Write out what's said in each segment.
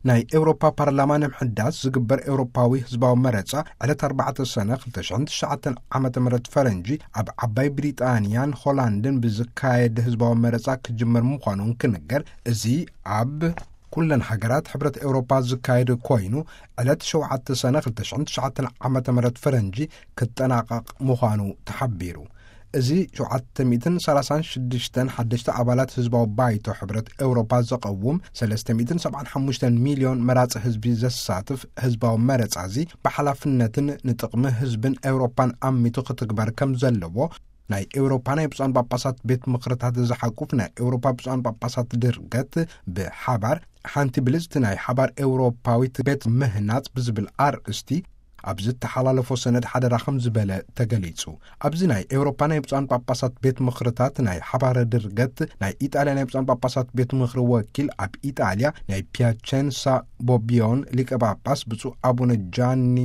ናይ ኤውሮፓ ፓርላማ ንምሕዳስ ዝግበር ኤውሮፓዊ ህዝባዊ መረጻ ዕለት ኣርባዕተ ሰነ ክልተ ሽሕን ትሽዓተን ዓመተ ምህረት ፈረንጂ ኣብ ዓባይ ብሪጣንያን ሆላንድን ብዝካየድ ህዝባዊ መረጻ ክጅመር ምዃኑ እንክንገር፣ እዚ ኣብ ኩለን ሃገራት ሕብረት ኤውሮፓ ዝካየድ ኮይኑ፣ ዕለት ሸውዓተ ሰነ ክልተ ሽሕን ትሽዓተን ዓመተ ምህረት ፈረንጂ ክጠናቐቕ ምዃኑ ተሓቢሩ። እዚ ሸውዓተ ሚእትን ሰላሳን ሽዱሽተን ሓደሽተ ኣባላት ህዝባዊ ባይቶ ሕብረት ኤውሮፓ ዘቐውም ሰለስተ ሚእትን ሰብዓን ሓሙሽተን ሚልዮን መራጺ ህዝቢ ዘሳትፍ ህዝባዊ መረጻ እዚ ብሓላፍነትን ንጥቕሚ ህዝብን ኤውሮፓን ኣሚቱ ክትግበር ከም ዘለዎ ናይ ኤውሮፓ ናይ ብፁዓን ጳጳሳት ቤት ምኽርታት ዝሓቁፍ ናይ ኤውሮፓ ብፁዓን ጳጳሳት ድርገት ብሓባር ሓንቲ ብልጽቲ ናይ ሓባር ኤውሮፓዊት ቤት ምህናጽ ብዝብል ኣርእስቲ ኣብ ዝተሓላለፎ ሰነድ ሓደራ ከም ዝበለ ተገሊጹ። ኣብዚ ናይ ኤውሮፓ ናይ ብፁዓን ጳጳሳት ቤት ምኽርታት ናይ ሓባር ድርገት ናይ ኢጣልያ ናይ ብፁዓን ጳጳሳት ቤት ምኽሪ ወኪል ኣብ ኢጣልያ ናይ ፒያቸንሳ ቦቢዮን ሊቀ ጳጳስ ብፁዕ ኣቡነ ጃኒ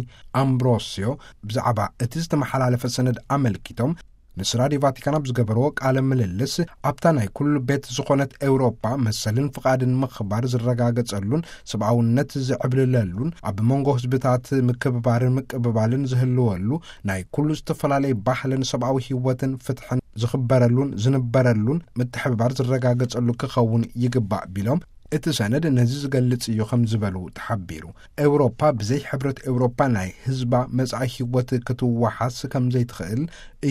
ኣምብሮሲዮ ብዛዕባ እቲ ዝተመሓላለፈ ሰነድ ኣመልኪቶም ምስ ራድዮ ቫቲካን ኣብ ዝገበርዎ ቃለ ምልልስ፣ ኣብታ ናይ ኩሉ ቤት ዝኾነት ኤውሮፓ መሰልን ፍቓድን ምኽባር ዝረጋገጸሉን ሰብኣውነት ዝዕብልለሉን ኣብ መንጎ ህዝብታት ምክብባርን ምቅብባልን ዝህልወሉ፣ ናይ ኩሉ ዝተፈላለየ ባህልን ሰብኣዊ ህይወትን ፍትሕን ዝኽበረሉን ዝንበረሉን ምትሕብባር ዝረጋገጸሉ ክኸውን ይግባእ ቢሎም፣ እቲ ሰነድ ነዚ ዝገልጽ እዩ ከም ዝበሉ ተሓቢሩ። ኤውሮፓ ብዘይ ሕብረት ኤውሮፓ ናይ ህዝባ መጻኢ ህይወት ክትወሓስ ከም ዘይትኽእል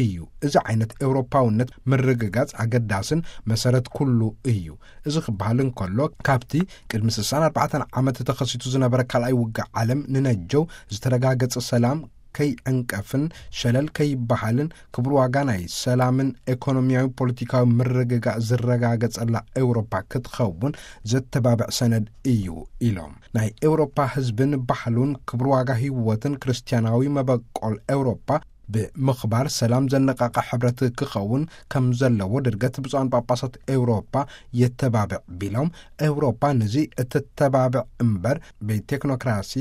እዩ። እዚ ዓይነት ኤውሮፓውነት ምርግጋጽ ኣገዳስን መሰረት ኩሉ እዩ። እዚ ክበሃል እንከሎ፣ ካብቲ ቅድሚ ስሳን ኣርባዕተን ዓመት ተኸሲቱ ዝነበረ ካልኣይ ውግእ ዓለም ንነጀው ዝተረጋገጸ ሰላም ከይዕንቀፍን ሸለል ከይበሃልን ክቡር ዋጋ ናይ ሰላምን ኤኮኖሚያዊ ፖለቲካዊ ምርግጋእ ዝረጋገጸላ ኤውሮፓ ክትኸውን ዘተባብዕ ሰነድ እዩ ኢሎም። ናይ ኤውሮፓ ህዝብን ባህሉን ክቡር ዋጋ ህይወትን ክርስትያናዊ መበቆል ኤውሮፓ ብምኽባር ሰላም ዘነቃቃ ሕብረት ክኸውን ከም ዘለዎ ድርገት ብፁዓን ጳጳሳት ኤውሮፓ የተባብዕ ቢሎም፣ ኤውሮፓ ነዚ እተተባብዕ እምበር ብቴክኖክራሲ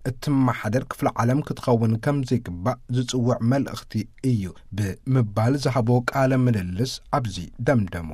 እትመሓደር ክፍለ ዓለም ክትኸውን ከም ዘይግባእ ዝጽውዕ መልእኽቲ እዩ ብምባል ዝሃቦ ቃለ ምልልስ ኣብዚ ደምደሙ።